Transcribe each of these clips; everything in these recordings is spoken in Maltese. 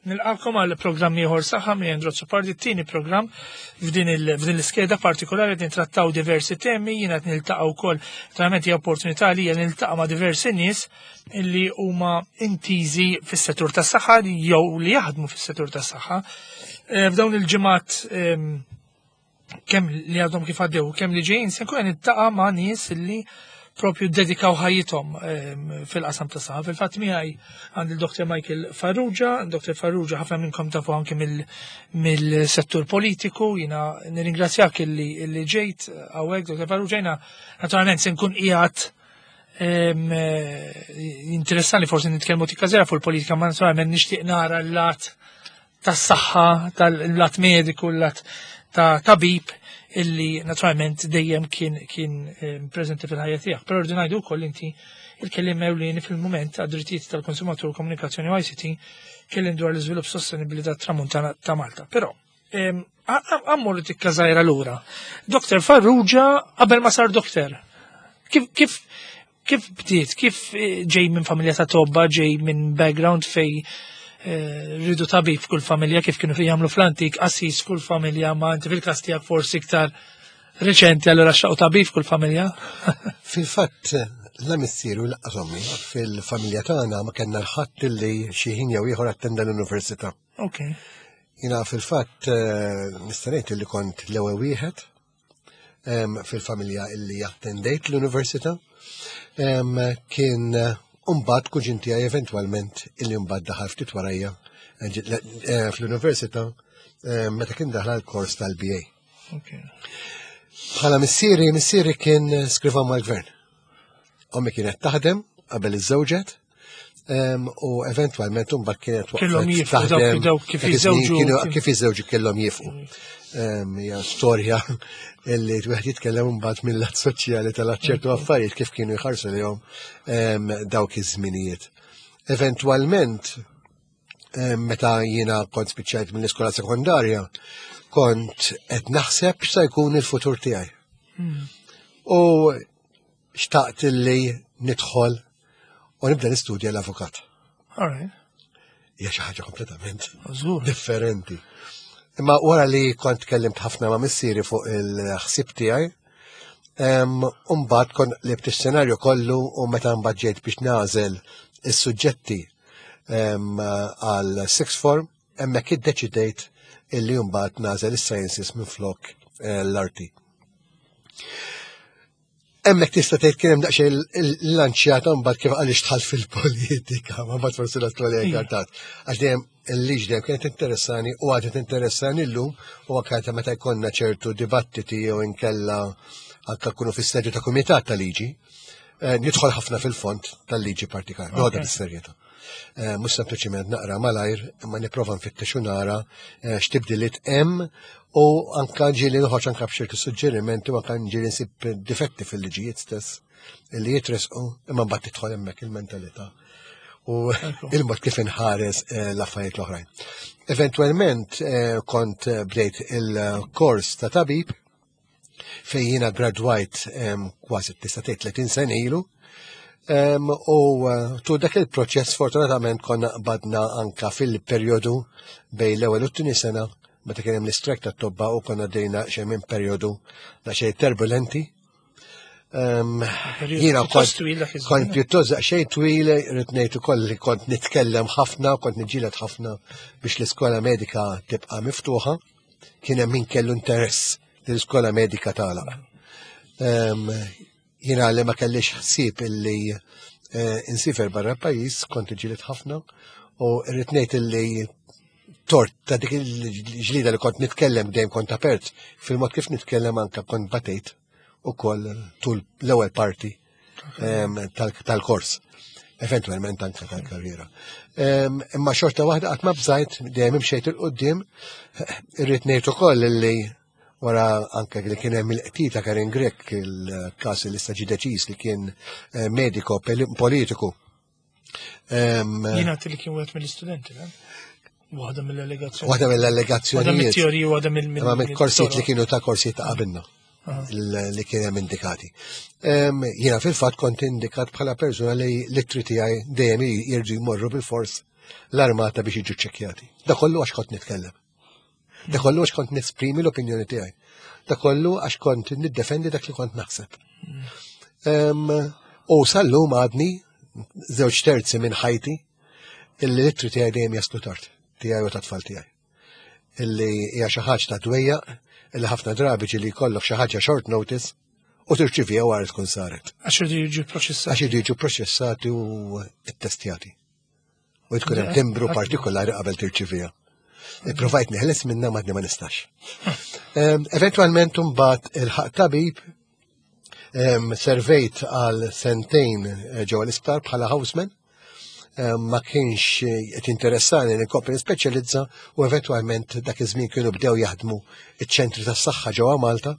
Nilqakom għal programm ieħor saħħa minn Andrew Azzopardi, t-tieni programm f'din l-iskeda partikolari qed nittrattaw diversi temi, jiena qed niltaqa' wkoll verament hija opportunità li niltaqa' ma' diversi nies li huma intiżi fis-settur tas-saħħa jew li jaħdmu fis-settur tas-saħħa. Eh, f'dawn il-ġimgħat ehm, kemm li għadhom kif għaddew, kemm li ġejjin, se nkun nittaqa' ma' nies li propju dedikaw ħajjithom ehm, fil-qasam ta' saħħa. Fil-fatt miegħi għandi l-Dr. Michael Farrugia, Dr. Farrugia ħafna minnkom tafu anke mill-settur politiku, jiena nirringrazzjak illi ġejt hawnhekk, Dr. Farrugia, jiena naturalment se nkun qiegħed ehm, jinteressani forsi nitkellmu tikka fuq il-politika, ma naturalment nixtieq nara l-lat tas-saħħa, tal-lat mediku, l-lat ta' tabib illi naturalment dejjem kien kien eh, preżenti fil-ħajja tiegħek. Però rridu ngħidu wkoll inti il-kelliem ewlieni fil-mument għad-drittijiet tal-konsumatur komunikazzjoni u ICT kellim dwar l-iżvilupp sostenibbli tat-tramuntana ta' Malta. Però għammur tikka żgħira lura. Dr. Farrugia qabel ma sar doktor. Kif kif Kif bdiet, kif eh, ġej minn familja ta' tobba, ġej minn background fej eh, rridu tabib f'kull familja kif kienu jagħmlu fl-antik, qassis f'kull familja, ma inti fil-każ tiegħek forsi iktar reċenti allura xaqu tabib f'kull familja. Fil-fatt, la missieru laqqas ommi fil-familja tagħna ma kellna l-ħadd li xi ħin jew ieħor attenda l-università. Ok. Jina fil-fatt eh, nista' ngħid li kont l-ewwel wieħed fil-familja illi attendejt l-università kien Umbat kuġin tiegħi eventwalment illi mbagħad daħal ftit warajja eh, eh, fl-università meta kien daħal l-kors tal-BA. Bħala missieri, missieri kien skriva mal-gvern. Ommi kienet taħdem qabel iż-żewġet, u eventwalment mbagħad kienet Kellhom jifqu dawk dawk kif jiżewġu. Kif jiżewġu kellhom jifqu. Hija storja illi wieħed jitkellem mbagħad mill-lat soċjali tal-ċertu affarijiet kif kienu jħarsu lihom dawk iż-żminijiet. Eventwalment meta jiena kont spiċċajt mill-iskola sekondarja, kont qed naħseb x'se jkun il-futur tiegħi. Hmm. U xtaqt li nidħol u nibda nistudja l-avukat. Hija xi ħaġa kompletament differenti. Imma wara li kont tkellimt ħafna ma' missieri fuq il-ħsieb tiegħi, Umbagħad kont qlibt ix-xenarju kollu u meta mbagħad ġejt biex nagħżel is-suġġetti għal sixth form, hemmhekk iddeċidejt illi mbagħad nagħżel is-sciences minflok eh, l-arti. Hemmhekk tista' tgħid kien hemm daqsxejn il-lanċjata mbagħad kif għaliex dħalt fil-politika, ma mbagħad forsi l-attuali tard. Għax dejjem il-liġi dejjem kienet interessani u għadha tinteressani llum u anke meta jkollna ċertu dibattiti jew inkella anke kunu fis-sedju ta' kumitat ta' liġi, eh, nidħol ħafna fil-fond tal-liġi partikolari, noħodha bis-serjetà. Eh, mhux sempliċiment naqra malajr, imma nipprova nfittex u nara eh, x'tibdiliet hemm u anka ġieli noħroġ anka b'ċertu suġġerimenti u anka ġieli nsib difetti fil-liġijiet stess li jitresqu imma mbagħad tidħol hemmhekk il-mentalità u il-mod kif inħares eh, l-affarijiet l-oħrajn. Eventwalment kont bdejt il-kors ta' tabib fejn jiena gradwajt kważi tista' tgħid 30 sena ilu. U eh, tu dak il-proċess fortunatament konna qbadna anka fil-perjodu bejn l-ewwel u t-tieni sena meta kien hemm l-istrajk tat-tobba u konna dejna xejn minn perjodu xejn turbulenti. Jiena kont pjuttost xejn twil, rrid ngħid ukoll li kont nitkellem ħafna, kont niġġieled ħafna biex l-iskola medika tibqa' miftuħa. Kien hemm min kellu interess li l-iskola medika tagħlaq. Jiena li ma kellix ħsieb illi eh, insifer barra pajjiż kont ġilit ħafna u rrid ngħid illi tort ta' dik il-ġlida li kont nitkellem dejjem kont apert fil-mod kif nitkellem anka kont batejt ukoll tul l-ewwel parti tal-kors, eventualment anke tal-karriera. Imma xorta waħda qatt ma bżajt dejjem imxejt il-qudiem, irrid ngħid ukoll li wara anke li kien hemm il-qtil ta' Karin Grech il-każ li sta ġie deċiż li kien eh, mediko politiku. Jiena li kien wieħed mill-istudenti, Waħda mill-allegazzjoni. Waħda mill-allegazzjoni. Waħda mill-teoriji, waħda mill korsijiet li kienu ta' korsijiet ta' qabilna li kien hemm indikati. Jiena fil-fatt kont indikat bħala persuna li l-ittri tiegħi dejjem jirġu jmorru bil-fors. l-armata biex jiġu ċċekkjati. Da kollu għax kont nitkellem. Da kollu għax kont nesprimi l-opinjoni tiegħi. Da kollu għax kont niddefendi dak li kont naħseb. U sal-lum għadni żewġ terzi minn ħajti illi l-ittri tiegħi dejjem jaslu tard, tiegħi u tat-tfal tiegħi. Illi hija xi ħaġa ta' dwejjaq illi ħafna drabi ġieli jkollok xi ħaġa short notice u tirċivija wara tkun saret. Għax iridu jiġu proċessati. Għax iridu jiġu proċessati u ttestjati. U tkun hemm timbru partikolari qabel tirċivija. Provajt neħles minna madni ma nistax. Eventualment mbagħad il-ħaq tabib servejt għal sentejn eh, ġewwa l-isptar bħala houseman ma kienx eh, qed interessani li nkompli nispeċjalizza u eventwalment dak iż-żmien kienu bdew jaħdmu iċ-ċentri tas-saħħa ġewwa Malta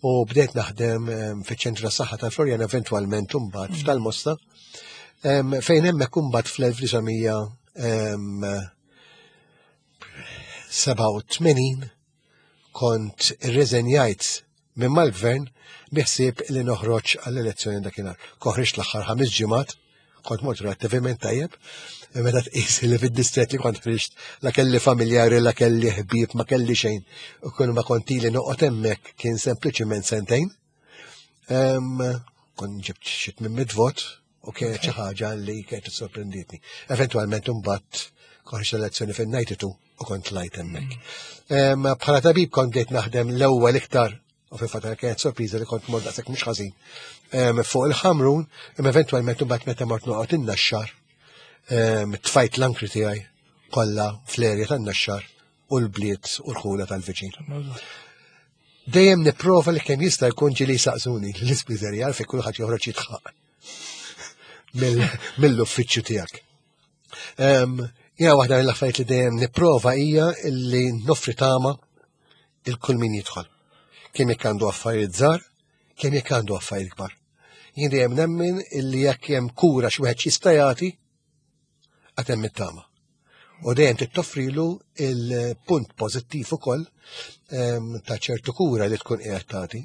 u bdejt naħdem fiċ-ċentru tas-saħħa tal-Florjan eventwalment imbagħad mm. f'tal-Mosta fejn hemmhekk imbagħad fl-1987 kont irreżenjajt minn mal-gvern biħsieb li noħroġ għall-elezzjoni dakinhar. Koħriġt l-aħħar ħames ġimgħat, kont mort relattivament tajjeb, meta tqis li fid-distret li kont ħriġt la kelli familjari, la kelli ħbieb, ma kelli xejn. U kull ma kont ili noqgħod hemmhekk kien sempliċiment sentejn. Kont ġibt xi 800 vot u kienet xi ħaġa li kienet sorprenditni. Eventwalment imbagħad koħroġ l-elezzjoni fin-92 u kont lajt hemmhekk. Mm. Bħala tabib kont bdejt naħdem l-ewwel iktar u fil-fatt kienet sorpriża li kont mort daqshekk mhux ħażin fuq il-ħamrun, imma eventwalment imbagħad meta mort noqgħod in-naxxar tfajt l-ankri tiegħi kollha fl-erja tan-naxxar u l-bliet u l-ħula tal-viċin. Dejjem nipprova li kemm jista' jkun ġieli saqsuni l-ispiżerja fejn kulħadd joħroġ jitħaq mill-uffiċċju tiegħek. Jena waħda mill-affarijiet li dejjem nipprova hija li noffri tama il kull min jidħol. Kemm jekk għandu affarijiet żgħar, kemm jekk għandu affarijiet kbar. Jien dejjem nemmen illi jekk hemm kura xi wieħed jista' jagħti, għad hemm it-tama. U dejjem tittoffrilu il-punt pożittiv ukoll ta' ċertu kura li tkun qiegħed tagħti.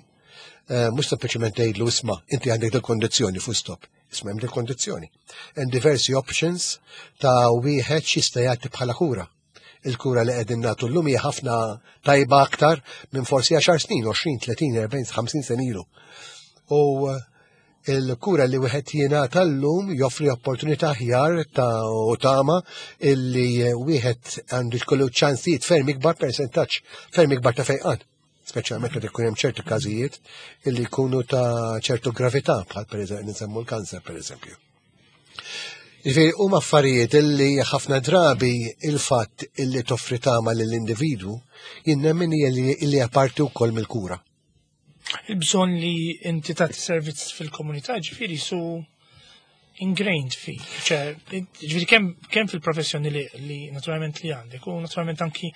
Mhux sempliċement tgħidlu isma' inti għandek dil-kondizzjoni full stop. Isma' hemm dil-kondizzjoni. Hemm diversi options ta' wieħed x'jista' jagħti bħala kura. Il-kura li qegħdin nagħtu llum hija ħafna tajba aktar minn forsi 10 snin, 20, 30, 40, 50 sen ilu. U eh, il-kura li wieħed jingħata llum joffri opportunità aħjar ta' u tama illi wieħed għandu jkollu ċansijiet ferm ikbar persentaġġ ferm ikbar ta' fejqan speċjalment meta jkun hemm ċertu każijiet illi jkunu ta' ċertu gravità bħal pereżempju nsemmu l-kanser pereżempju. Jiġifieri huma affarijiet illi ħafna drabi il-fatt illi toffri tama lill-individwu jien nemmen hija li hija parti wkoll mill-kura. Il-bżonn li inti tagħti servizz fil-komunità ġifieri su ingrained fik, ġifieri kemm fil-professjoni li, li naturalment li għandek u naturalment anki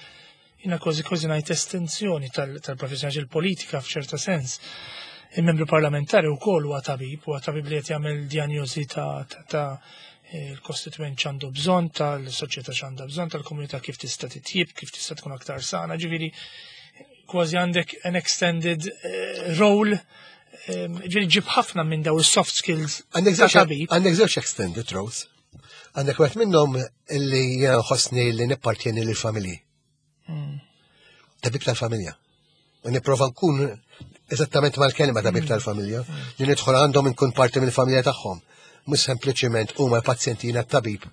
jina kważi kważi ngħid estensjoni tal-professjoni il-politika f'ċerta sens. Il-membru parlamentari wkoll huwa tabib, huwa tabib li qed jagħmel diagnosi ta' ta' il-kostituent ċandu bżonn, tal-soċjetà ċandu bżonn, tal-komunità kif tista' titjib, kif tista' tkun aktar sana, ġifieri kważi għandek an extended eh, role eh, ġifieri ġib ħafna minn daw is-soft skills. Għandek żewġ extended roles. Għandek wieħed minnhom li ħossni li nippartjeni lill-familji. Hmm. Tabib tal-familja. U nipprova nkun eżattament mal-kelma tabib hmm. tal-familja, hmm. li nidħol għandhom nkun parti mill-familja tagħhom. Mhux sempliċiment huma l-pazjenti jiena tabib.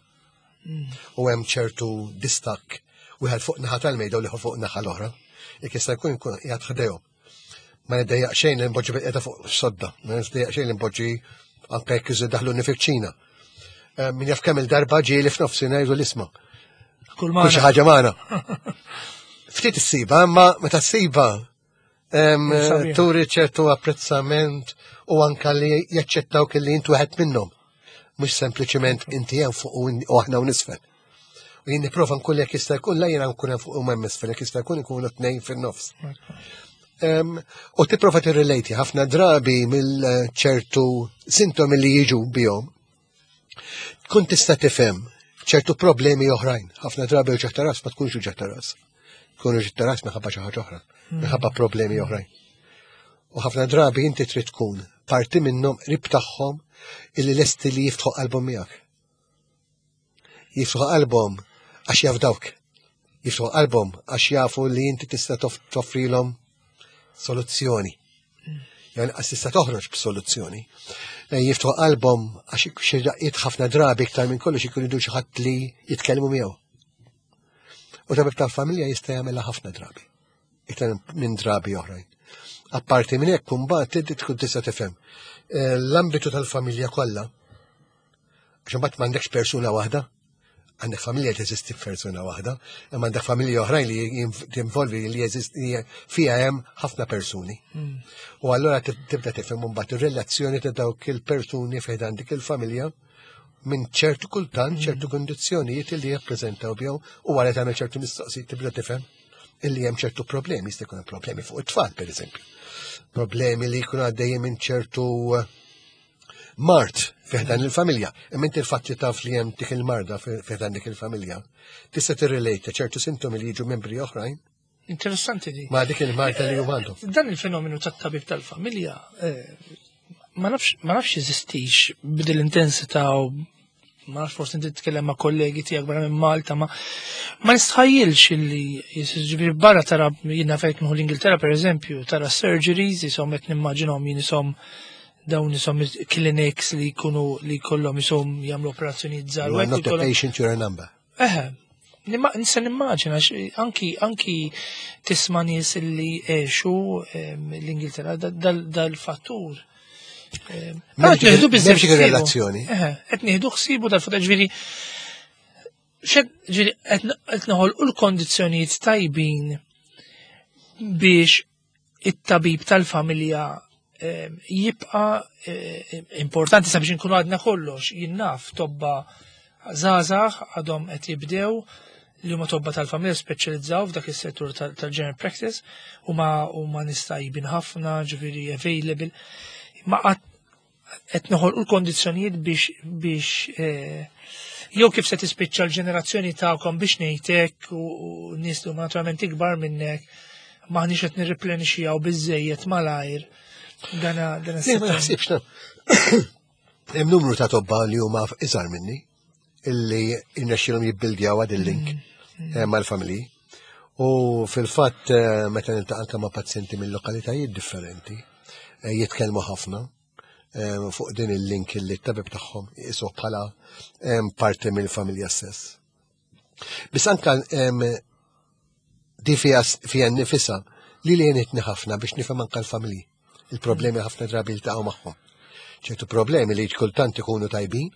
U hemm ċertu distakk wieħed fuq naħa tal-mejda u l-ieħor fuq naħa l-oħra. Jekk jista' jkun nkun qiegħed ħdejhom. Ma niddejjaq xejn li npoġġi bil fuq sodda, ma niddejjaq xejn li npoġġi anke jekk iżid daħluni fiċ-ċina. Eh, min jaf kemm il-darba ġieli f'nofsinhar jgħidu l-isma. Kull xi ħaġa magħna. Ftit issiba, imma meta ssiba turi ċertu apprezzament u anka li jaċċettaw kelli intu wieħed minnhom. Mhux sempliċement inti hemm fuq u aħna u nisfel. U jien nipprova nkun jekk jista' jkun la jiena nkun hemm fuq u hemm isfel, jekk jista' jkun ikunu tnejn fin-nofs. U tipprova tirrelati ħafna drabi mill-ċertu sintomi li jiġu bihom. Tkun tista' tifhem ċertu problemi oħrajn. Ħafna drabi uġigħ ta' ras ma tkunx uġigħ ta' ras. Tkun uġigħ ta' ras minħabba xi ħaġa oħra, hmm. minħabba problemi oħrajn. U ħafna drabi inti trid tkun parti minnhom qrib tagħhom illi lesti li jiftħu qalbhom miegħek. Jiftħu qalbhom għax jafdawk. Jiftħu qalbhom għax jafu li inti tista' toffrilhom soluzzjoni. Jew inqas tista' toħroġ b'soluzzjoni. Eh, jiftħu qalbhom għax xi daqqiet ħafna drabi iktar minn kollox ikun idu xi ħadd li jitkellmu miegħu. U tabib tal-familja jista' jagħmilha ħafna drabi. Iktar minn drabi oħrajn. Apparti minn hekk imbagħad inti tkun tista' tifhem eh, l-ambitu tal-familja kollha Għax imbagħad m'għandekx persuna waħda, għandek familja teżisti f'persuna waħda, imma għandek familja oħrajn li tinvolvi li jeżisti fiha hemm ħafna persuni. Hmm. U allura tibda tifhem imbagħad ir-relazzjoni ta' dawk il-persuni fejn dik il-familja minn ċertu kultant, hmm. ċertu kondizzjonijiet li jippreżentaw bihom u wara tagħmel ċertu mistoqsijiet tibda tifhem illi hemm ċertu problemi, jista' jkun problemi fuq it-tfal pereżempju. Problemi li jkunu għaddejjin minn ċertu mard fiħdan il-familja. Imma inti l-fatt li taf li hemm dik il-marda fiħdan dik il-familja, tista' tirrelate ċertu sintomi li jiġu membri oħrajn. Interessanti di. Ma dik il-marda li huma għandhom. Dan il-fenomenu tat-tabib tal-familja eh, ma nafx jeżistix b'dil intensità u ma nafx forsi inti titkellem ma' kollegi tiegħek barra minn Malta, ma ma nistħajjilx illi jiġifieri barra tara jiena fejn nieħu l-Ingilterra pereżempju, tara surgeries jisom qed nimmaġinhom jien isom dawn isom clinics li jkunu li jkollhom isom jagħmlu operazzjonijiet żgħar. You are not a patient, you're a number. Eħe, nista' nimmaġina anki anki tisma' nies li għexu l-Ingilterra dal-fattur. Qed nieħdu biżżejjed relazzjoni. Qed nieħdu ħsiebu dal-fattur ġifieri ġifieri qed noħolqu l-kondizzjonijiet tajbin biex it-tabib tal-familja jibqa importanti sabiex inkunu għadna kollox, jien naf tobba żgħażagħ għadhom qed jibdew li huma tobba tal-familja speċjalizzaw f'dak is-settur tal-general practice huma huma nies tajbin ħafna, ġifieri available. Ma qed noħolqu l-kondizzjonijiet biex biex eh, jew kif se tispiċċa l-ġenerazzjoni tagħkom biex ngħidlek u nies li huma naturalment ikbar minnek maħniex qed nirriplenixxjaw biżejjed malajr. Dana dana Ma naħsibx Hemm numru ta' tobba li huma iżgħar minni illi irnexxielhom jibbildjaw għad il-link mm, mm. eh, mal-familji. U fil-fatt eh, meta niltaqa' anke ma' pazjenti minn lokalitajiet differenti, eh, jitkellmu ħafna fuq din il-link illi t-tabib tagħhom jisuh bħala parti mill-familja stess. Biss anka di fija nifisa li li jenitni ħafna biex nifhem anka l-familji. Il-problemi ħafna drabi jiltaqgħu magħhom. ċertu problemi li kultant ikunu tajbin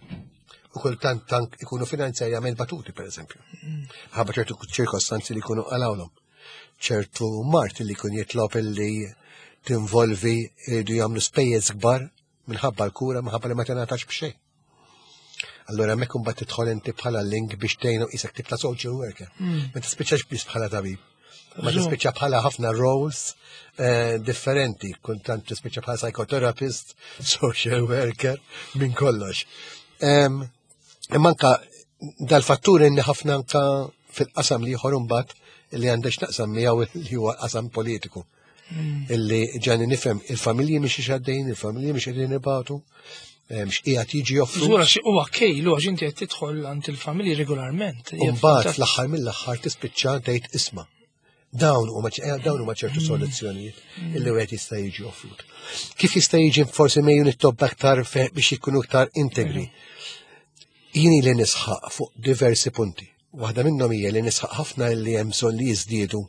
u kultant tank ikunu finanzjarjament batuti, per eżempju. Ħabba ċertu ċirkostanzi li jkunu qalawlhom. ċertu mart li jkun jitlob illi tinvolvi jridu jagħmlu spejjeż kbar minħabba l-kura minħabba li ma tingħatax b'xejn. Allora hemmhekk imbagħad tidħol inti bħala link biex tgħinu isek tip ta' social worker. Hmm. Ma tispiċċax biss bħala tabib. Ma tispiċċa bħala ħafna roles eh, differenti, kultant tispiċċa bħala psychotherapist, social worker, minn kollox. Imma anka dal-fattur inni ħafna anka fil-qasam li ieħor imbagħad li għandex naqsam miegħu li huwa qasam politiku. Mm. Illi ġani nifhem il-familji mhix għaddejn, il-familji mhix qegħdin ibatu, eh, mhux qiegħed jiġi joffru. Żura xi huwa kejlu għax inti qed tidħol għand il-familji regolarment. Mbagħad fl-aħħar mill-aħħar tispiċċa tgħid isma' dawn huma eh, dawn huma ċertu mm. soluzzjonijiet mm. illi wieħed jista' jiġi offrut. Kif jista' jiġi forsi mejju nittob aktar biex ikunu aktar integri? Jien li nisħaq fuq diversi punti. Waħda minnhom hija li nisħaq ħafna li hemm bżonn li jiżdiedu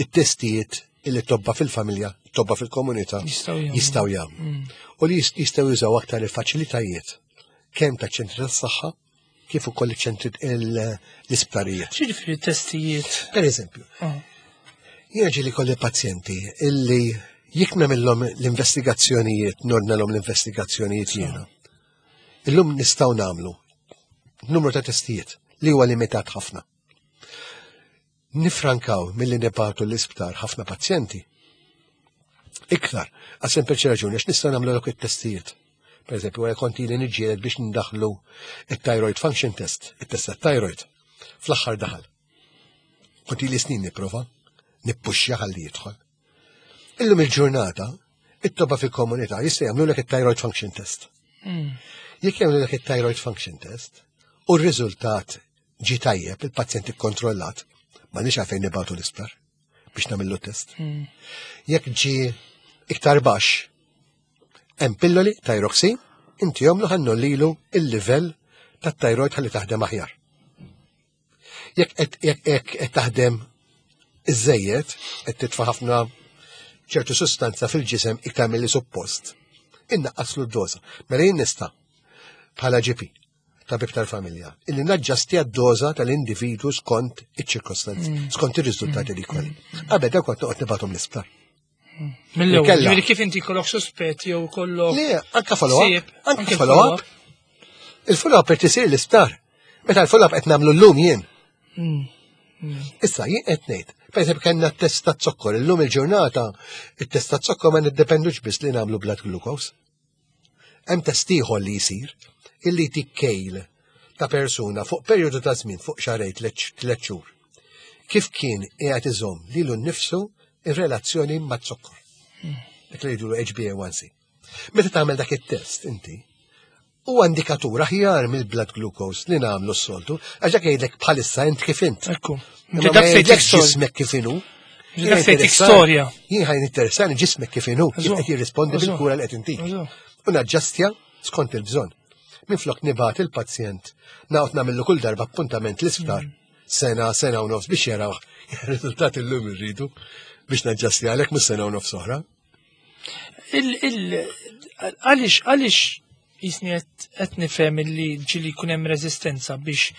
it-testijiet illi tobba fil-familja, tobba fil-komunità jistgħu jagħmlu. Mm. U li jistgħu jużaw aktar il-faċilitajiet kemm ta' ċentri tas-saħħa kif ukoll iċ-ċentri l-isptarijiet. Xiġifieri testijiet? Per eżempju, ah. jiena ġieli kolli pazjenti illi jekk nagħmilhom l-investigazzjonijiet, nordnalhom l-investigazzjonijiet jiena. Illum nistgħu nagħmlu numru ta' testijiet li huwa limitat ħafna. Nifrankaw milli nibagħtu l-isptar ħafna pazjenti. Iktar, għal sempliċi raġuni, għax nistgħu nagħmlu dawk it-testijiet. Per eżempju, wara kont ili niġġieled biex ndaħlu it-thyroid function test, it-test tat-thyroid. Fl-aħħar daħal. Kont ili snin nipprova, nippuxxja ħalli jidħol. Illum il-ġurnata, it-toba fil-komunità jista' jagħmlulek it-thyroid function test. Hmm. Jekk jagħmlulek it-thyroid function test, u r-riżultat ġi tajjeb, il-pazjent ikkontrollat, ma nix għalfejn nibatu l-isptar biex nagħmillu test. Jekk ġi iktar baxx, hemm pilloli thyroxine, inti jomlu ħannu lilu il-livell tat-thyroid ħalli taħdem aħjar. Jekk qed taħdem iżejjed, qed titfa' ħafna ċertu sustanza fil-ġisem iktar milli suppost, innaqqaslu d-doża. Mela jien nista' bħala GP, tabib tal-familja, illi naġġastja d-doża tal-individu skont iċ-ċirkostanzi, skont ir-riżultati li jkolli. Qabel dawk kont noqgħod nibgħathom l-isptar. Mill-ewwel, ġifieri kif inti jkollok suspett jew kollok. Le, anka follow-up, anka follow-up. Il-follow-up qed isir l-isptar. Meta l-follow-up qed nagħmlu llum jien. Issa jien qed ngħid, pereżempju kellna t-test ta' zokkor, illum il-ġurnata it-test ta' zokkor ma niddependux biss li nagħmlu blood glucose. Hemm test ieħor li jsir illi tikkejl ta' persuna fuq perjodu ta' żmien fuq xahrejn tliet xhur. Kif kien qiegħed iżomm lilu nnifsu ir-relazzjoni mat-zokkor. Dak li jgħidulu HbA1c. Meta tagħmel dak it-test inti, huwa indikatur aħjar mill-blood glucose li nagħmlu s-soltu, għax dak jgħidlek bħalissa int kif int. Ekku. Imma ma jgħidlekx ġismek kif inhu. Dak se jtik storja. Jien ħajn interessani ġismek kif inhu, kif qed jirrispondi bil-kura li qed intik. U naġġastja skont il-bżonn. Minflok nibgħat il-pazjent naqgħod nagħmillu kull darba appuntament l-isptar sena, sena u nofs biex jaraw ir-riżultati llum irridu biex naġġastja għalhekk mhux sena u nofs oħra. Għaliex għaliex jisni qed nifhem li ġili jkun hemm reżistenza biex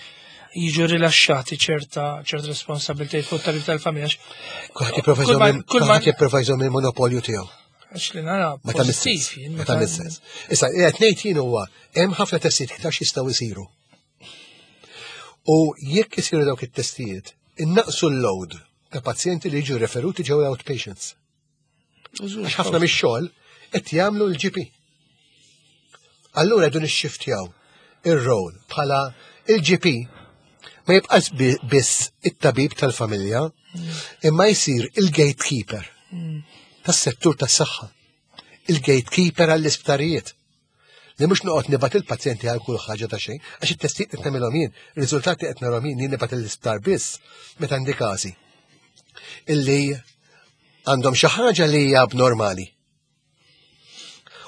jiġu rilaxxati ċerta ċerta responsabilitajiet fuq tabib tal-familja. Kulħadd jipprova jżomm il-monopolju tiegħu. Għax li nara Ma ta' pożittiv jien Ma ta' sens. Issa, qed ngħid jien huwa hemm ħafna testijiet iktar jistgħu jsiru. U jekk isiru dawk it-testijiet, innaqsu l-load ta' pazjenti li jiġu referuti ġew outpatients. Għax ħafna mix-xogħol qed jagħmlu l-GP. Allura dun ixxiftjaw ir-rol bħala il-GP ma jibqax biss it-tabib tal-familja, imma jsir il-gatekeeper tas-settur tas-saħħa, il-gatekeeper għall-isptarijiet. Li mhux noqgħod nibgħat il-pazjenti għal kull ħaġa ta' xejn, għax it-testijiet qed nagħmilhom jien, ir-riżultati qed narhom jien, jien nibgħat l-isptar biss meta għandi każi illi għandhom xi ħaġa li hija abnormali.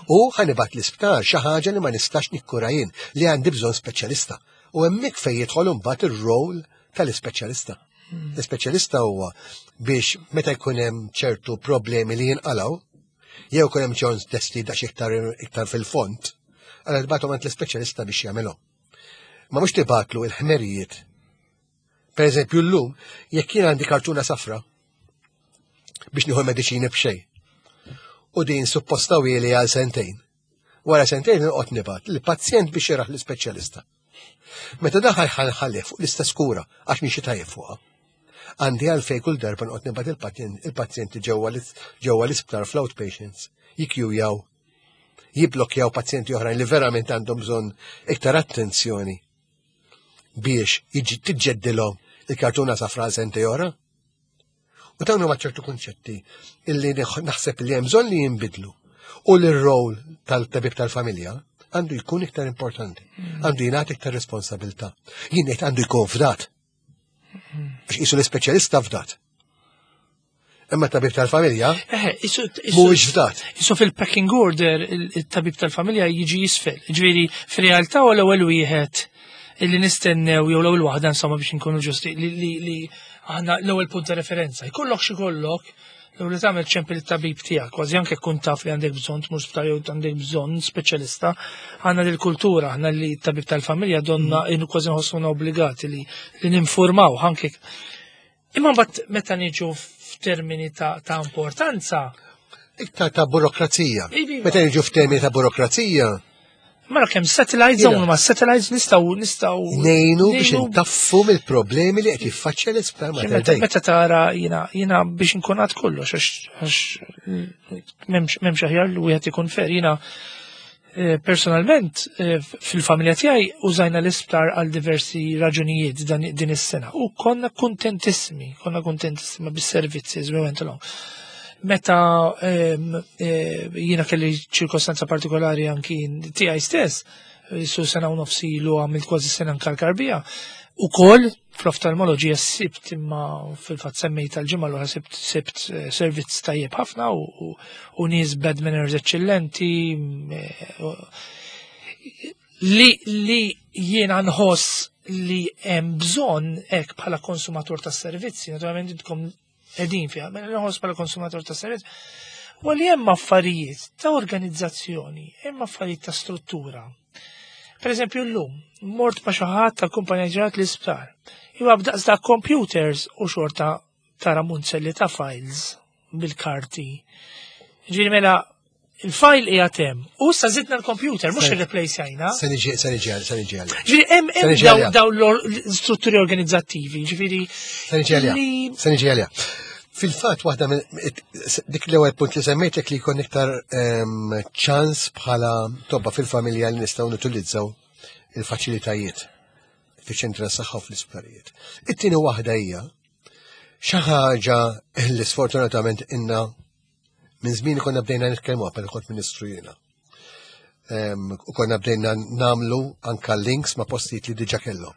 U ħanibat l-isptar xi ħaġa li ma nistax nikkura jien li għandi bżonn speċjalista. U hemmhekk fejn jidħol imbagħad ir-rol tal-ispeċjalista. L-ispeċjalista huwa biex meta jkun hemm ċertu problemi li jinqalgħu, jew jkun hemm ċertu testi daqs iktar iktar fil-fond, għal tibgħathom għand l-ispeċjalista biex jagħmilhom. Ma mhux tibgħatlu il-ħmerijiet. Per eżempju llum, jekk jien għandi kartuna safra biex nieħu mediċini b'xejn. U din supposta wieli għal sentejn. Wara sentejn noqgħod nibgħat il-pazjent biex jaraħ l-ispeċjalista. Meta daħal ħalħalih fuq l-istess kura għax minn xi tajjeb fuqha. Għandi għalfejn kull darba noqgħod nibgħat il-pazjenti ġewwa l-isptar fl-outpatients jikjujaw jibblokjaw pazjenti oħrajn li verament għandhom bżonn iktar attenzjoni biex jiġi tiġġeddilhom il-kartuna safra għal sentej oħra. U dawn huma ċertu kunċetti illi naħseb li hemm bżonn li jinbidlu u li r-rol tal-tabib tal-familja għandu jkun iktar importanti, għandu jingħata iktar responsabilità. Jien ngħid għandu jkun fdat. Għax qisu l-ispeċjalista fdat. Imma tabib tal-familja mhuwiex fdat. Isu fil-packing order il-tabib tal-familja jiġi jisfel. Ġifieri fir-realtà u l-ewwel wieħed illi nistennew jew l-ewwel waħda insomma biex inkunu ġusti li aħna l-ewwel punt ta' referenza. Jkollok xi kollok l li tagħmel ċempel it-tabib tiegħek, kważi anke kun taf li għandek bżonn tmur sptar jew għandek bżonn speċjalista, għandna dil kultura aħna li t-tabib tal-familja donna kważi nħossuna obbligati li ninformaw anke. Imma mbagħad meta niġu f'termini ta', ta importanza. Iktar ta' burokrazija. Meta niġu f'termini ta' burokrazija. Mara kemm satellites dawn ma satellites nistgħu nistgħu ngħinu biex intaffu mill-problemi li qed jiffaċċja l-isptar Mater Dei. Meta tara jiena jiena biex inkun għad kollox għax m'hemmx aħjar li wieħed ikun fer jiena Eh, personalment, eh, fil-familja tiegħi użajna l-isptar għal diversi raġunijiet din is-sena u konna kuntentissimi, konna kuntentissimi bis-servizzi as we went along. Meta ehm, eh, jiena kelli ċirkostanza partikolari anki tiegħi stess, Su sena u nofs ilu għamilt kważi sena nkarkar bija. U kol, fl-oftalmoloġija sibt imma fil-fat semmejt tal-ġimgħa l-oħra sibt, sibt eh, servizz tajjeb ħafna u, u, u nies bad manners eċċellenti eh, li, li jiena nħoss li hemm bżonn hekk bħala konsumatur tas-servizzi, naturalment intkom qegħdin fiha, mela nħoss bħala konsumatur tas-servizz, u li hemm affarijiet ta' organizzazzjoni, hemm affarijiet ta' struttura. Per eżempju llum, mort ma' xi ħadd tal-kumpanija ġerat l-isptar. Iwa b'daqs ta' computers u xorta tara munzelli ta' files bil-karti. Ġifieri mela il-file qiegħed hemm. U issa żidna l-computer, mhux irreplace jajna. Se niġi, se niġi, se niġi għalija. Ġifieri hemm Se niġi għalija. dawn l-strutturi organizzattivi, ġifieri Se niġi għalija. Se niġi għalija. Fil-fatt waħda minn dik l-ewwel punt li semmejtlek li jkun iktar ċans bħala tobba fil-familja li nistgħu nutilizzaw il-faċilitajiet fiċ-ċentri tas-saħħa u fl-isptarijiet. It-tieni waħda hija xi ħaġa li sfortunatament inna minn żmien konna bdejna nitkellmu qabel kont ministru jiena. U konna bdejna namlu anka links ma' postijiet li diġa kellhom.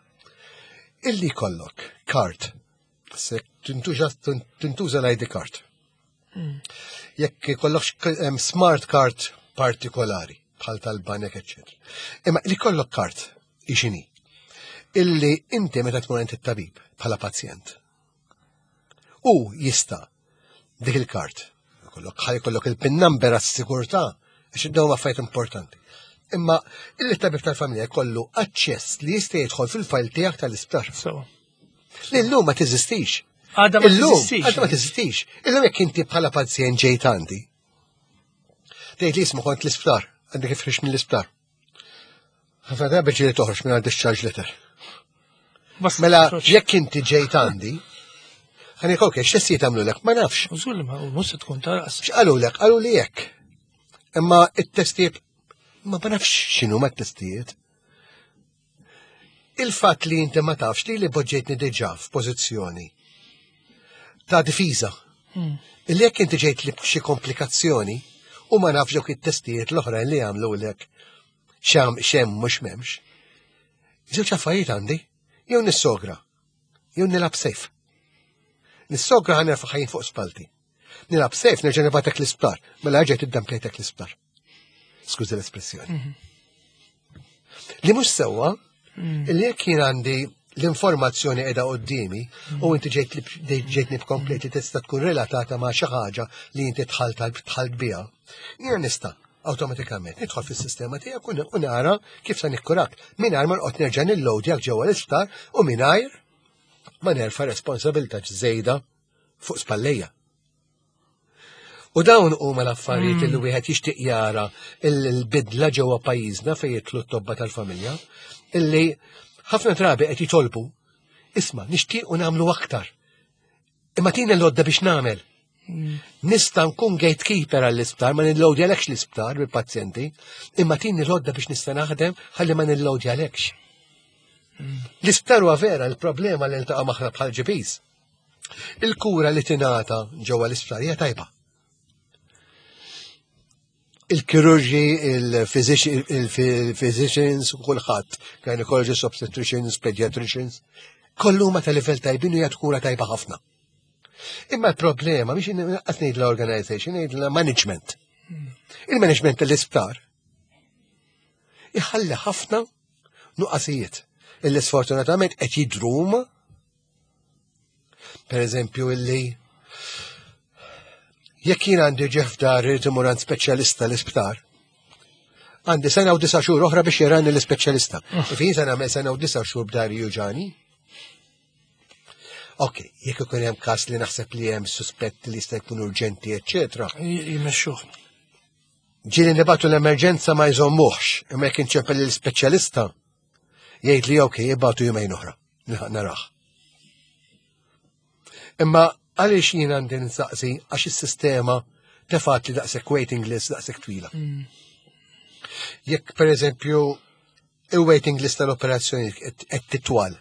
Illi kollok kart, se tintuża l-ID card. Jekk kollok smart card partikolari, bħal tal-banek, eccetera. Imma li kollok kart, ixini, illi inti meta tmur għand it-tabib bħala pazjent. U jista' dik il-kart. Kollok ħaj kollok il-pin number għas-sigurtà, għax dawn affarijiet importanti. Imma il-tabib tal-familja jkollu aċċess li jista' jidħol fil-fajl tiegħek tal-isptar. Li llum ma teżistix. Għadha ma teżistix. Għadha ma teżistix. Illum jekk inti bħala pazjent ġejt għandi. Tgħid li isma' kont l-isptar, għandek ifrix mill-isptar. Ħafna drabi ġieli toħroġ minn discharge letter. Mela, jekk inti ġejt għandi, ħanik ok, x'testijiet għamlulek, ma nafx. Użul ma mhux se tkun taras. X'qalulek? Qalu li hekk. Imma it-testijiet ma nafx x'inhu ma t-testijiet. Il-fatt li inti ma tafx li li poġġejtni diġà f'pożizzjoni ta' difiża. Illi jekk inti ġejt li b'xi komplikazzjoni u ma nafx dawk it-testijiet l-oħrajn li għamlulek xam xem mhux m'hemmx. Żewġ affarijiet għandi, jew nissogra, jew nilgħab sejf. Nissogra ħa nerfa' ħajjin fuq spalti. Nilgħab sejf nerġa' nibatek l-isptar, mela ġejt iddampjajtek l-isptar. Skużi l-espressjoni. Li mhux sewwa, illi jekk jien għandi l-informazzjoni qiegħda quddiemi u inti ġejtni b'komplet li tista' tkun relatata ma' xi ħaġa li inti dħalt biha, jiena nista' awtomatikament nidħol fis-sistema tiegħek u nara kif se nikkurak mingħajr ma noqgħod nerġa' nillowdjak ġewwa l-isptar u mingħajr ma nerfa' responsabilità żejda fuq spallejja. U dawn huma l-affarijiet li wieħed jixtieq jara l-bidla ġewwa pajjiżna fejn jidħlu t-tobba tal-familja, illi ħafna drabi qed jitolbu, isma' nixtiequ nagħmlu aktar. Imma tina l-għodda biex nagħmel. Nista' nkun gatekeeper għall-isptar, ma nillowdjalekx l-isptar bil-pazjenti, imma tini l-għodda biex nista' naħdem ħalli ma nillowdjalekx. L-isptar huwa vera l-problema li niltaqa' magħha bħal GPs. Il-kura li tingħata ġewwa l-isptar hija tajba. Il-kirurġi, il-physicians, u kulħadd, gynecologists, obstetricians, pediatricians, kollu huma ta' livell tajbin u jagħtu kura tajba ħafna. Imma l-problema biex qed ngħid l-organization, ngħid management. Il-management tal-isptar iħalli ħafna nuqqasijiet illi sfortunatament qed jidhru huma. Per eżempju, illi jekk jien għandi ġef dar irid imur għand speċjalista l-isptar, għandi sena u 9 xhur oħra biex jarani l-ispeċjalista. Ifin se nagħmel sena u 9 xhur b'dari juġani. Ok, jekk ikun hemm każ li naħseb li hemm suspett li jista' jkun urġenti, eċċetera. Jmexxuh. Ġieli nibatu l-emerġenza ma jżommuhx, imma jekk inċempel l-ispeċjalista, jgħid li ok, jibatu jumejn oħra, naraħ. Imma għaliex jien għandi nsaqsi għax is-sistema tefat li daqshekk waiting list daqshekk twila. Jekk per eżempju il-waiting list tal-operazzjoni qed titwal,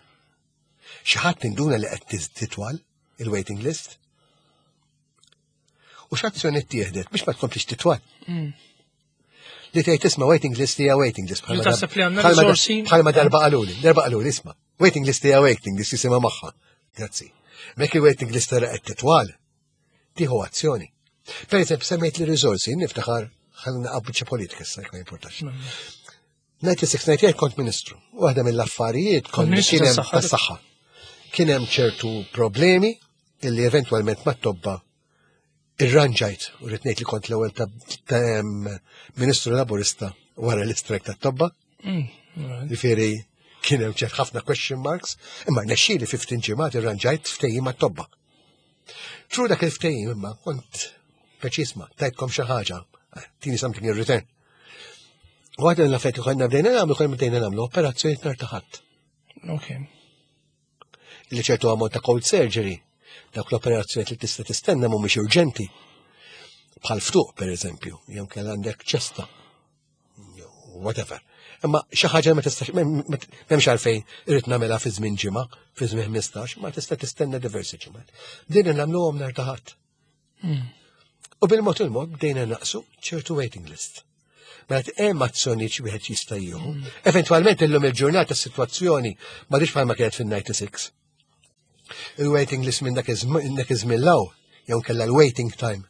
xi ħadd induna li qed titwal il-waiting list? U x'azzjoni ttieħdet biex ma tkomplix titwal? Li tgħid isma' waiting list hija waiting list. Li taħseb li għandna risorsi? Bħalma darba qaluli, darba qaluli isma' waiting list hija waiting list jisimha magħha. Grazzi. Mek il-waiting list tara qed titwal, tieħu azzjoni. Per eżempju, semmejt li risorsi, niftakar ħalli naqgħu politika issa ma jimportax. 96-98 kont ministru. Waħda mill-affarijiet kont Ministru kien hemm tas-saħħa. tas-saħħa. Kien hemm ċertu problemi illi eventwalment mat-tobba irranġajt u rrid ngħid li kont l-ewwel ta' ta' em, ministru laburista wara l-istrajk tat-tobba. Ġifieri kien hemm ċert ħafna question marks, imma nexxieli 15 ġimgħat irranġajt ftehim mat-tobba. Tru dak il-ftehim imma kont preċisma, tajtkom xi ħaġa, tini something in return. U għadna l-affett li konna bdejna nagħmlu, konna bdejna nagħmlu operazzjoni nhar ta' ħadd. Ok. Li ċertu ammont ta' cold surgery, dawk l-operazzjoni li tista' tistenna mhumiex urġenti. Bħal ftuq, per eżempju, jew kell għandek ċesta, jew whatever. Imma xi ħaġa ma tistax m'hemmx għalfejn irid nagħmilha fi żmien ġimgħa, fi żmien 15, ma tista' tistenna diversi ġimgħat. Bdejna nagħmluhom nhar ta' ħadd. U bil-mod il-mod bdejna naqsu ċertu waiting list. Mela hemm azzjonijiet xi wieħed jista' jieħu. Eventwalment illum il-ġurnata s-sitwazzjoni m'għadix bħalma kienet fin-96. Il-waiting list minn dak iż-żmien law jew kellha l-waiting time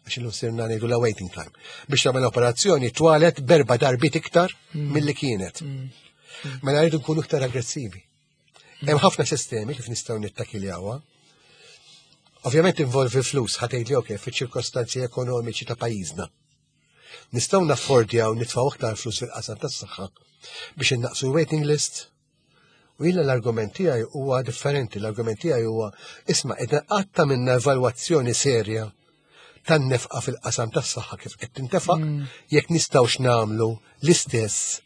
għax illum sirna ngħidu la waiting time. Biex tagħmel operazzjoni twalet berba darbit iktar milli kienet. Mela rridu nkunu iktar aggressivi. Hemm ħafna sistemi kif nistgħu nittakiljawha. Ovvjament involvi flus, ħa tgħidli ok, fiċ-ċirkostanzi ekonomiċi ta' pajjiżna. Nistgħu naffordjaw nitfgħu aktar flus fil-qasam tas-saħħa biex innaqsu waiting list. U jiena l-argument tiegħi huwa differenti, l-argument tiegħi huwa isma' qed qatta minna evalwazzjoni serja tan-nefqa fil-qasam tas-saħħa kif qed tintefaq jekk nistgħux nagħmlu l-istess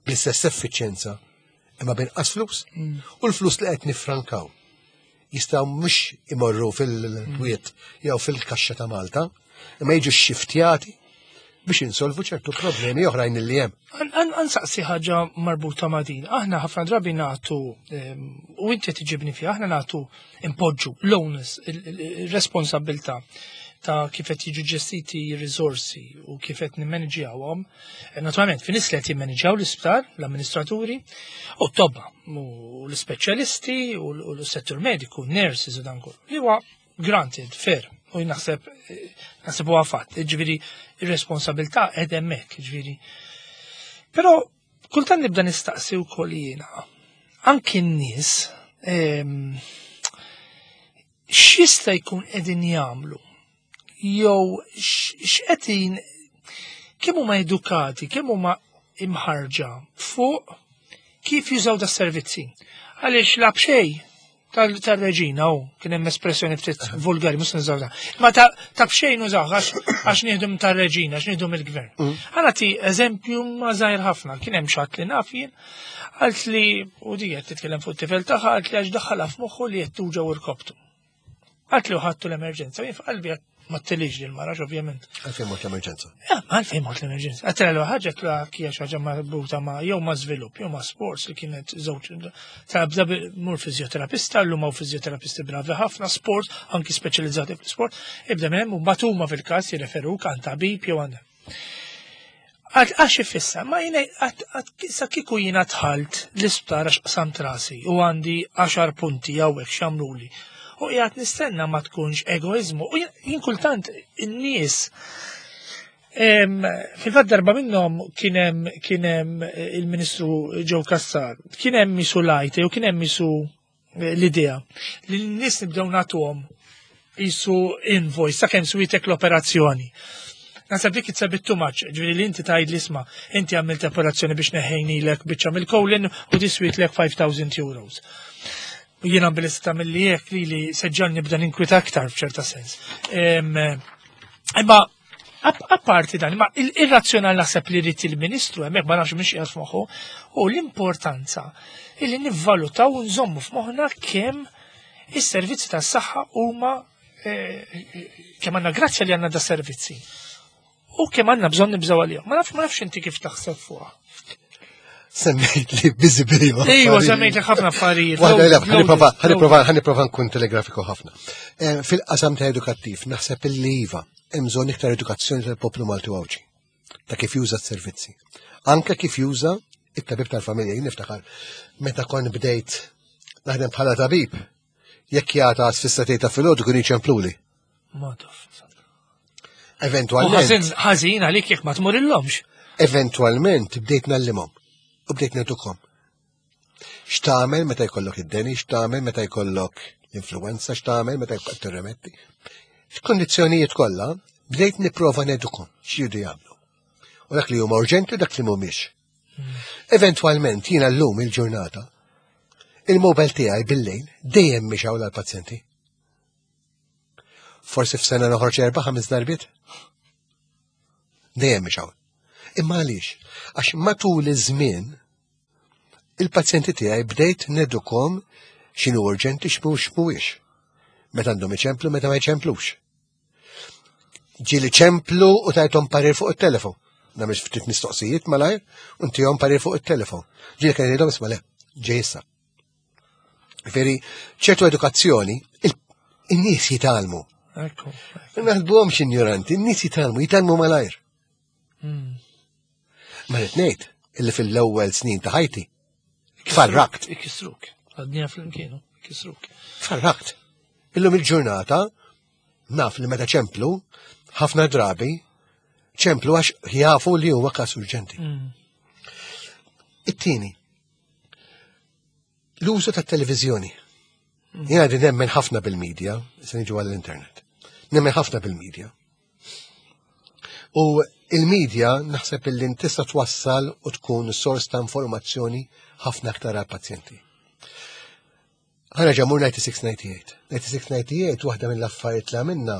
bl-istess effiċjenza imma binqas flus. U l-flus li qed nifrankaw jistgħu mhux imorru fil-kwiet jew fil-kaxxa ta' Malta, imma jiġu xxiftjati biex insolvu ċertu problemi oħrajn li hemm. Ansaqsi ħaġa marbuta ma' din. Aħna ħafna drabi nagħtu u inti tiġibni fiha, aħna nagħtu impoġġu l-onus, il-responsabilità ta' kif qed jiġu ġestiti r-riżorsi u kif qed nimmanġjawhom. Naturalment, fin nies li qed jimmanġjaw l-isptar, l-amministraturi, u t-tobba, u l-ispeċjalisti, u l-settur mediku, nurses u dan kollu. Li huwa granted, fair, u naħseb naħseb huwa fatt, ġifieri ir-responsabilità qed hemmhekk, ġifieri. Però kultant nibda nistaqsi wkoll jiena, anki n-nies x'jista' jkun qegħdin jagħmlu jew x'qegħdin kemm huma edukati, kemm huma imħarġa fuq kif jużaw da servizzi. Għaliex la b'xej tal-reġina u kien hemm espressjoni ftit vulgari mhux nużaw da. Ma ta' b'xejn nużaw għax nieħdu tar-reġina, għax nieħdu mill-gvern. Ħa nagħti eżempju ma żgħir ħafna, kien hemm xi ħadd li naf jien, għalt li u di qed titkellem fuq it-tifel tagħha, għalt li għax daħħalha f'moħħu li qed tuġgħu irkoptu. Għalt li ħadtu l-emerġenza, jien f'qalbi ma ttilix li l-marax ovvjament. Għalfejn mort l-emerġenza. Ja, għalfejn mort l-emerġenza. Għattra l ħaġa tla kija xi ħaġa marbuta ma' jew ma' żvilupp, jew ma' sports li kienet żewġ. Ta' bda mur fizjoterapista, llum hawn fizjoterapisti bravi ħafna, sport, anki speċjalizzati fl-sport, ibda minn hemm u mbagħad huma fil-każ jirreferuk għand tabib jew għand. Għax ifissa, ma jina, sa kiku jina dħalt l-isptar għax qsamt rasi u għandi 10 punti hawnhekk x'għamluli. U qiegħed nistenna ma tkunx egoizmu. U jien kultant in-nies fil-fatt darba minnhom kien hemm il-Ministru Joe Cassar, kien hemm misu lajte u kien hemm misu l-idea li n-nies nibdew nagħtuhom jisu invoice sakemm switek l-operazzjoni. Naħseb dik it's a bit too much, ġifieri li inti tgħid li isma' inti għamilt operazzjoni biex neħejnilek biċċa mill-colon u diswitlek 5,000 euros. Jiena bil-lista mill-li jek li li seġġan nibda ninkwita aktar f'ċerta sens. Imma apparti dan, imma il-razzjonal naħseb li rrid il-Ministru hemmhekk ma nafx mhix qiegħed f'moħħu, u l-importanza illi nivvalutaw u nżommu f'moħħna kemm is-servizzi tas-saħħa huma kemm għandna grazzja li għandna da servizzi. U kemm għandna bżonn nibżgħu għalihom. Ma nafx ma nafx inti kif taħseb fuqha. Semmejt li busy bili. Ejwa, semmejt li ħafna affarijiet. Ħa nipprova nkun telegrafiku ħafna. Fil-qasam ta' edukattiv, naħseb illi iva, hemm bżonn iktar edukazzjoni tal-poplu Malti u Għawdxi. ta' kif juża s-servizzi. Anke kif juża it-tabib tal-familja, jien niftakar meta kont bdejt naħdem bħala tabib, jekk jagħta fis-satej ta' filgħodu kien jiċempluli. Ma taf. Eventualment. Ħażin għalik jekk ma tmur illomx. Eventualment bdejt nallimhom u bdejt nedukhom. X'tagħmel meta jkollok id-deni, x'tagħmel meta jkollok l-influenza, x'tagħmel meta jkollok tirremetti. F'kondizzjonijiet kollha bdejt nipprova nedukhom x'jridu jagħmlu. U dak li huma urġenti u dak li mhumiex. Eventwalment jiena llum il-ġurnata il-mobile tiegħi bil-lejl dejjem mhix hawn għall-pazjenti. Forsi f'sena noħroġ erba' ħames darbiet. Dejjem mhix hawn. Imma għaliex? Għax matul iż-żmien il-pazjenti tiegħi bdejt nedukom x'inhu urġenti x'mhux mhuwiex. Meta għandhom iċemplu, meta ma jċemplux. Ġieli ċemplu u tajthom parir fuq it-telefon. Nagħmel ftit mistoqsijiet malajr u ntihom parir fuq it-telefon. Ġieli kien jgħidhom isma' le, ġej issa. Veri, ċertu edukazzjoni, in-nies jitgħallmu. Ekku. Naħdbuhomx injoranti, in-nies jitgħallmu, jitgħallmu malajr. Ma rrid ngħid illi fil-ewwel snin ta' ħajti farrakt. Ikisruk. Għadnija fl-imkienu, ikisruk. Farrakt. Illum il-ġurnata naf li meta ċemplu, ħafna drabi, ċemplu għax jafu li huwa każ urġenti. It-tieni, l-użu tat-televiżjoni. Jiena din nemmen ħafna bil-medja, se niġu għall-internet. Nemmen ħafna bil-medja. U il-medja naħseb illi tista' twassal u tkun sors ta' informazzjoni ħafna aktar għal-pazjenti. Ħana ġamur 96-98. 96-98 waħda mill-affarijiet li għamilna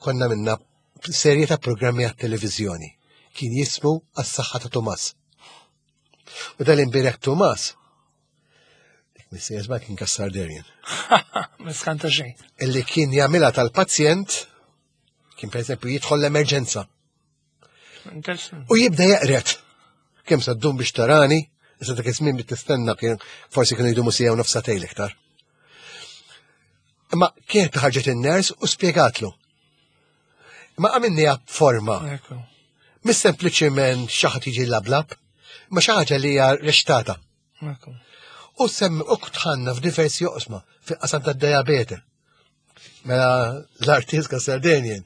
konna minna serje ta' programmi għat-televiżjoni. Kien jismu għas-saħħa ta' Tomas. U dal-imbirek Tomas, dik missija żball kien kassar derjen. Ma skanta xejn. Illi kien jagħmilha tal-pazjent, kien per eżempju jidħol l-emerġenza. Interessanti. U jibda jeqret. Kemm sa ddum biex tarani, issa dak iż-żmien biex tistenna kien forsi kienu jdumu sija u nofsa tejl iktar. Imma kienet ħarġet in-ners u spjegatlu. Imma għamilniha b'forma. Ekku. Mis sempliċiment xi ħadd jiġi lablab, ma xi ħaġa li hija reċtata. Ekku. U semmi u tħanna f'diversi oqsma fil-qasam tad-diabete. Mela l-artist Sardinian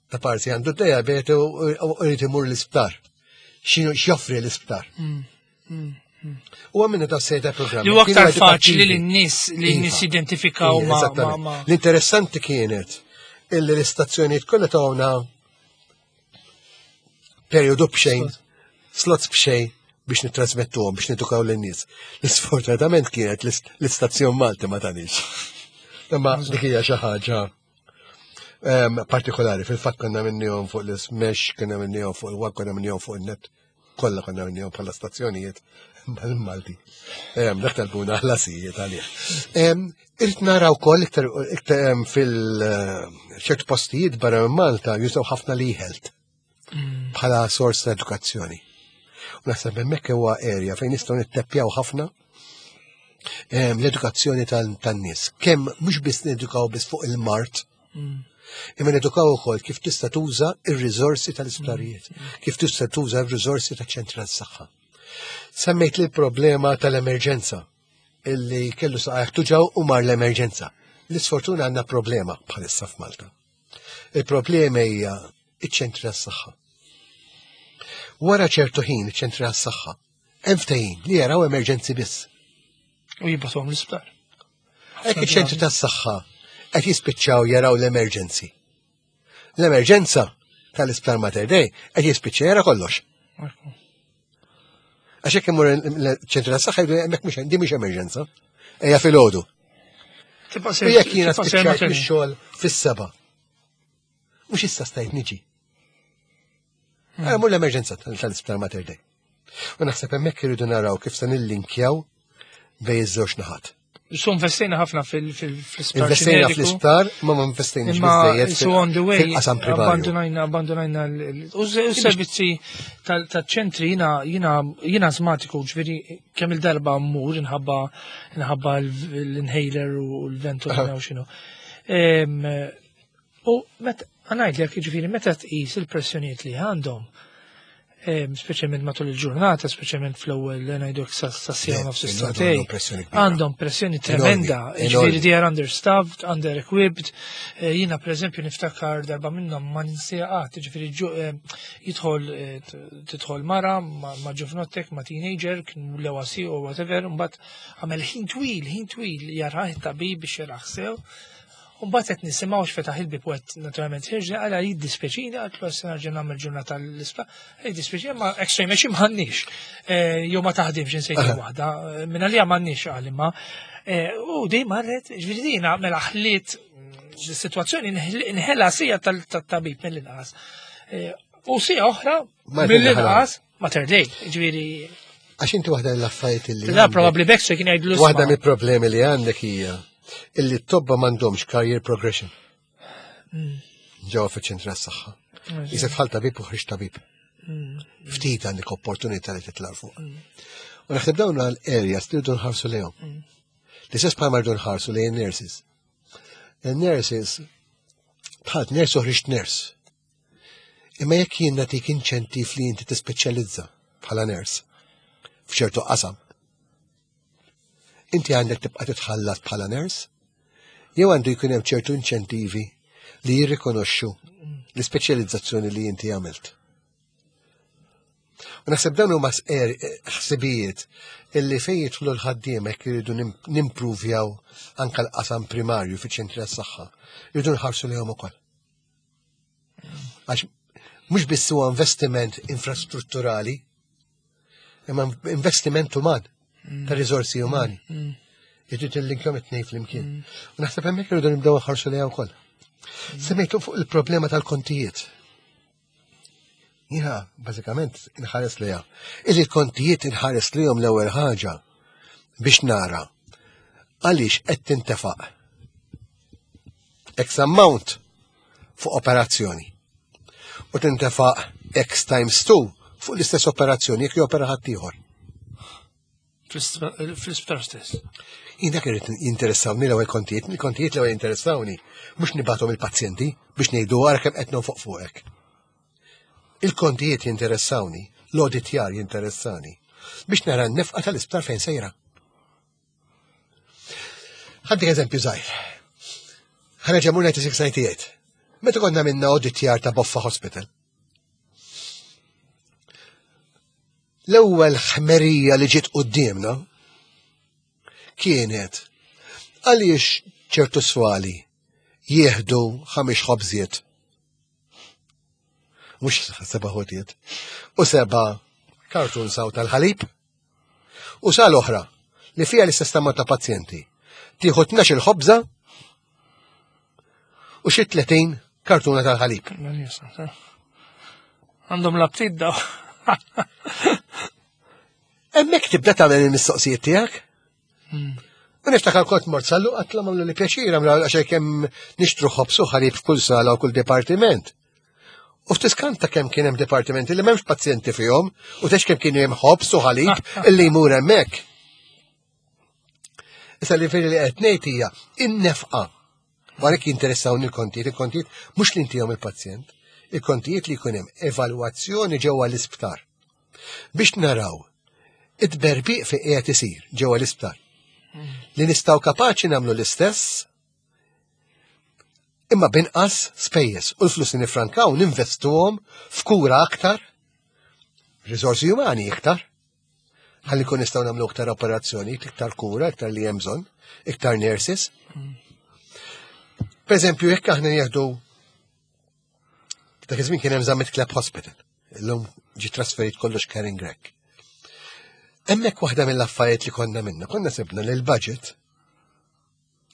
ta' parti għandu diabete u jrid imur l-isptar. X'inhu x'joffri l-isptar. U għamilna ta' sejta programmi. Li huwa Kienu aktar faċli edukattivi. li n-nies li n-nies Iva. identifikaw Iva, ma' ma' eżattament. ma' L-interessanti kienet illi l-istazzjonijiet kollha tawna periodu b'xejn, slots b'xejn biex nittrasmettuhom, biex nedukaw lin-nies. L-isfortunatament kienet l-istazzjon Malti ma tanix. Imma dik hija xi ħaġa partikolari. Fil-fatt konna minnihom fuq l-Smash, konna minnihom fuq il-Wag, konna minnihom fuq il-Net, kollha konna minnihom bħala stazzjonijiet mal-Malti. Dak talbuna ħlasijiet għalih. Irrid nara wkoll iktar iktar fil-ċertu postijiet barra minn Malta jużaw ħafna l-e-health bħala sors ta' edukazzjoni. U naħseb hemmhekk huwa area fejn nistgħu nitteppjaw ħafna l-edukazzjoni tan-nies. Kemm mhux biss nedukaw biss fuq il-mart, imma nedukaw ukoll kif tista' tuża ir-riżorsi tal-isptarijiet, kif tista' tuża r-riżorsi taċ-ċentri tas-saħħa. Semmejt li l-problema tal-emerġenza illi kellu saqajh tuġaw u mar l-emerġenza. L-isfortuna għandna problema bħalissa f'Malta. Il-problema hija iċ-ċentri tas-saħħa. Wara ċertu ħin iċ-ċentri tas-saħħa hemm ftehim li jaraw emerġenzi biss. U jibgħatuhom l-isptar. Hekk iċ-ċentri tas-saħħa qed jispiċċaw jaraw l-emerġenzi. L-emerġenza tal-isptar Mater Dei qed jispiċċa jara kollox. Ekku. Għax hekk imur il-ċentru tas-saħħa jgħidu hemmhekk mhux di mhix emerġenza. Ejja filgħodu. Tibqa' U sejr. jekk jiena tibqa' sejr spiċċajt Mater Dei. mix-xogħol fis-seba'. Mhux issa stajt niġi. Għara mur l-emerġenza tal-isptar Mater Dei. U naħseb hemmhekk irridu naraw kif se nillinkjaw bejn iż-żewġ naħat. Su investejna ħafna fil-isptar. Investejna ġeneriku. fl-isptar, ma ma investejniex Imma biżejjed su on the way, fil-qasam primarju. abbandonajna, abbandonajna u s-servizzi tal-ċentri jina, jina, jina azmatiku, ġveri, kemm il-darba mmur nħabba, nħabba l-inhaler u l-ventolina u xinu. U met, għanajdlek, ġveri, meta tqis il-pressjoniet li għandhom, Speċjalment matul il-ġurnata, speċjalment fl-ewwel ngħidu sa siegħa nofs is-sagħtejn. Għandhom pressjoni tremenda, ġifieri they are understaffed, under-equipped. Eh, jiena pereżempju niftakar darba minnhom ma ninsieha qatt, ġifieri eh, jidħol eh, tidħol mara ma' ġuvnottek, ma' teenager, kien l-ewasi u whatever, mbagħad għamel ħin twil, ħin twil jarah it-tabib biex jarah sew. U mbagħad qed nisimgħu x'fetaħ il-bieb u qed naturalment ħirġna għala jiddispjaċini għatlu għas nerġa' nagħmel ġurnata l-isptar. Jiddispjaċini ma x-ray machine m'għandniex. Eh, jew ma taħdimx insejt waħda. Eh, minn għalija m'għandniex qal imma. Eh, u dejjem marret, ġifieri dina mela ħliet mm, situazzjoni nħela sija tal-tabib mill-inqas. U sija oħra mill-inqas Mater Dei, ġifieri. Għax inti waħda l-affarijiet li. Da probabbli Baxter kien jgħidlu. Waħda mill-problemi li għandek hija illi t-tobba m'għandhomx career progression. Mm. Ġewwa fiċ-ċentru tas-saħħa. Jisef bħal tabib u ħriġ tabib. Mm. Ftit għandek opportunità li titla' fuq. Mm. U naħseb dawn għal-areas li rridu nħarsu lejhom. L-istess bħal rridu nħarsu lejn nurses. Il-nurses bħal nurse u ħriġt nurse. Imma jekk jien nagħtik inċentiv li inti tispeċjalizza bħala nurse f'ċertu qasam, inti għandek tibqa' titħallas bħala nurse jew għandu jkun hemm ċertu inċentivi li jirrikonoxxu l-ispeċjalizzazzjoni li inti għamilt. U naħseb dawn huma er, ħsibijiet illi fejn jidħlu l-ħaddiem hekk iridu nimpruvjaw anke l-qasam primarju fiċ-ċentri tas-saħħa, irridu nħarsu lejhom ukoll. Għax mhux biss huwa investiment infrastrutturali, imma investiment uman, mm. ta' riżorsi umani. Mm. mm. Irrid il-linkom it-tnejn flimkien. Mm. U naħseb hemmhekk irridu nibdew nħarsu lejha wkoll. Semmejtu fuq il-problema tal-kontijiet. Jiena bażikament inħares lejha. Illi l-kontijiet inħares lejhom l-ewwel ħaġa biex nara għaliex qed tintefaq X amount fuq operazzjoni. U tintefaq X times 2 fuq l-istess operazzjoni jekk jopera ħaddieħor. Fl-isptar stess. Jien dak irid jinteressawni l-ewwel kontijiet, il-kontijiet l-ewwel jinteressawni, mhux nibathom il-pazjenti biex ngħidu ara kemm qed nonfoq fuqek. Il-kontijiet jinteressawni, l-auditjar jinteressani biex nara n-nefqa tal-isptar fejn sejra. Ħaddik eżempju żgħir. Ħareġ mur 96-98. Meta konna minna auditjar ta' Boffa Hospital. L-ewwel ħmerija li ġiet quddiemna kienet għaliex ċertu swali jieħdu ħames ħobżiet. Mhux seba' ħotiet. U seba' kartun saw tal-ħalib. U sal oħra li fiha l-istess ammont ta' pazjenti. Tieħu 12 il-ħobża u xi 30 kartuna tal-ħalib. Għandhom l-aptit daw. Hemmhekk tibda tagħmel il-mistoqsijiet tiegħek. Hmm. U niftakar kont mort sallu għatla għamlu li pjaċir għamlu għax kemm nixtru ħobs u ħalib f'kull sala u kull dipartiment. U ftiskanta kemm kien hemm dipartimenti li m'hemmx pazjenti fihom u tex kemm kien hemm ħobs u ħalib illi jmur hemmhekk. Issa li fejn li qed ngħid hija in-nefqa. Għalhekk jinteressawni l-kontijiet, il-kontijiet mhux li intihom il-pazjent, il-kontijiet li jkun hemm evalwazzjoni ġewwa l-isptar. Biex naraw it-berbiq fi qiegħed isir ġewwa l-isptar. Li nistgħu kapaċi nagħmlu l-istess imma binqas spejjeż u l-flus li nifrankaw ninvestuhom f'kura aktar, riżorsi umani iktar, ħalli kun nistgħu nagħmlu iktar operazzjoni, iktar kura, iktar li hemm bżonn, iktar nurses. Per eżempju, jekk aħna nieħdu dak iż-żmien kien hemm Zammit Club Hospital, illum ġi trasferit kollox Karen Grech. Hemmhekk waħda mill-affarijiet li konna minna, konna sibna li l-budget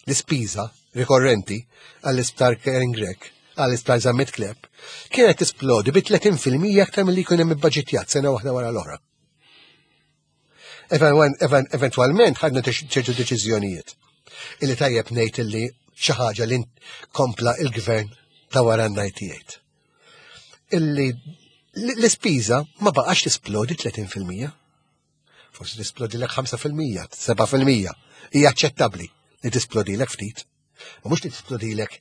L-ispiża rikorrenti għall-isptar Karen Grech għall-isptar Zammit Kleb kienet tisplodi bi 30% aktar milli jkun hemm ibbaġitjat sena waħda wara l-oħra. Eventwalment ħadna ċertu deċiżjonijiet illi tajjeb ngħid illi xi ħaġa li kompla il-gvern ta' wara 98. Illi l-ispiża ma baqax tisplodi 30%. Forsi tisplodilek 5%, 7%. Hija aċċettabbli li tisplodilek ftit. Ma mhux li tisplodilek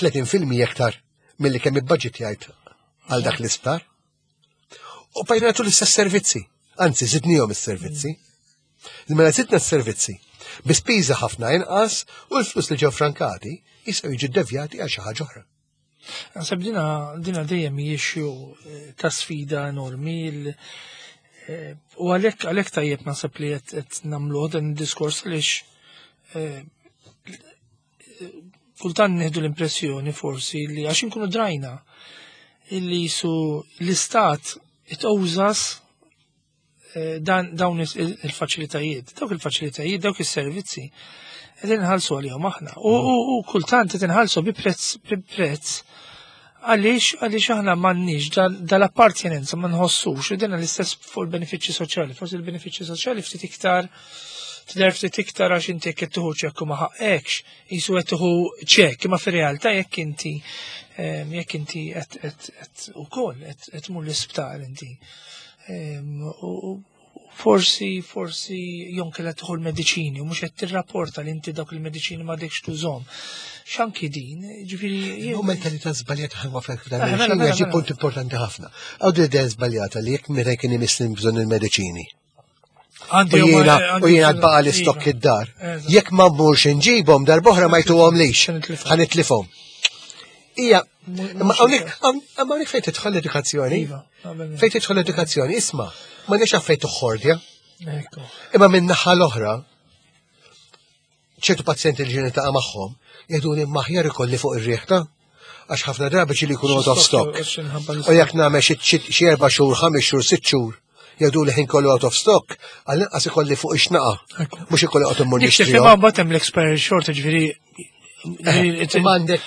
30% iktar milli kemm ibbaġitjajt għal dak l-isptar. U bqajna nagħtu l-istess servizzi. Anzi, żidnihom is-servizzi. Mela zidna s-servizzi bi spiża ħafna inqas u l-flus li ġew frankati jistgħu jiġu devjati għal xi ħaġa oħra. Naħseb dina, dina dejjem hijiex eh, ta' sfida enormi eh, u għalhekk għalhekk tajjeb naħseb li qed nagħmluh dan id-diskors għaliex eh, kultant nieħdu l-impressjoni forsi li għax inkunu drajna illi jisu l-istat it-owżas eh, dan dawn il-faċilitajiet, dawk il-faċilitajiet, dawk is-servizzi qed inħallsu għalihom aħna. U kultant qed inħallsu bi prezz bi prezz għaliex għaliex aħna m'għandniex dal-appartenenza ma nħossux u dina l-istess fuq il-benefiċċji soċjali, forsi il-benefiċċji soċjali ftit iktar tidher ftit iktar għax inti jekk qed tieħu ċekk u ma ħaqqekx, jisu qed tieħu ċekk, imma fir-realtà jekk inti ehm, jekk inti qed ukoll qed tmur l-isptar inti. Ehm, u forsi forsi jonke qed tieħu l-mediċini u mhux qed tirrapporta li inti dawk il-mediċini ma dekx tużhom. X'anki din, ġifieri. U mentalità żbaljata ħalma fek dan eh, mela, mela, mela. punt importanti ħafna. Għaw idea żbaljata li jekk meta kien imissni bżonn il-mediċini. U jiena tbaqa l-istokk iva. id-dar. Jekk ma mmurx inġibhom darbohra ma jtuhom lix. Ħanitlifhom. Ija, ma hawnhekk fejn tidħol l-edukazzjoni. Iva, fejn tidħol l-edukazzjoni, isma' ma nix fejn toħordja. Imma minn naħa l-oħra, ċertu pazjenti li ġieni taqa' magħhom jgħiduli maħjar ikolli fuq ir-riħ ta' għax ħafna drabi ġieli jkunu out of stock. U jekk nagħmel xi erba' xhur, ħames xhur, sitt xhur, jgħidu li ħin kollu out of stock, għall-inqas ikolli fuq ix-xnaqa. Mhux ikolli qgħod immur nixtri. Imma mbagħad hemm l-expiry short, ġifieri eh, Ma għandek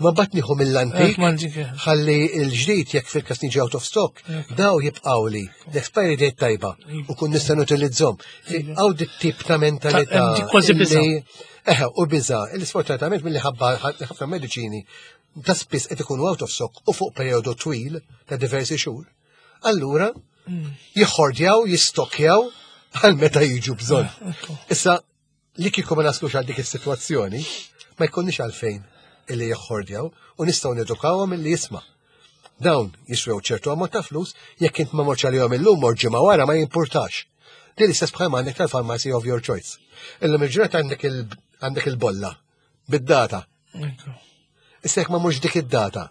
Ma bat nieħu mill-antik, ħalli l-ġdid jekk fil-kas niġi out of stock, daw jibqgħu li l-expiry date tajba u kun nista' nutilizzhom. Għaw dit tip ta' mentalità. Kważi biża. Eħe, u biża, li sfortunatament mill ħabba ħafna mediċini ta' spiss qed ikunu out of stock u fuq perjodu twil ta' diversi xhur. Allura, jħordjaw, jistokjaw għal meta jiġu bżonn. Issa, Li kieku ma naslux għal dik is-sitwazzjoni, ma jkunniex għalfejn illi jeħħordjaw u nistgħu nedukawhom illi jisma'. Dawn jiswew ċertu ammont ta' flus jekk int ma morx għalihom illum mort ġimgħa wara ma jimpurtax. Din l-istess bħalma għandek tal-pharmacy of your choice. Illum il-ġurnata għandek il-bolla bid-data. Issa jekk ma mhux dik id-data,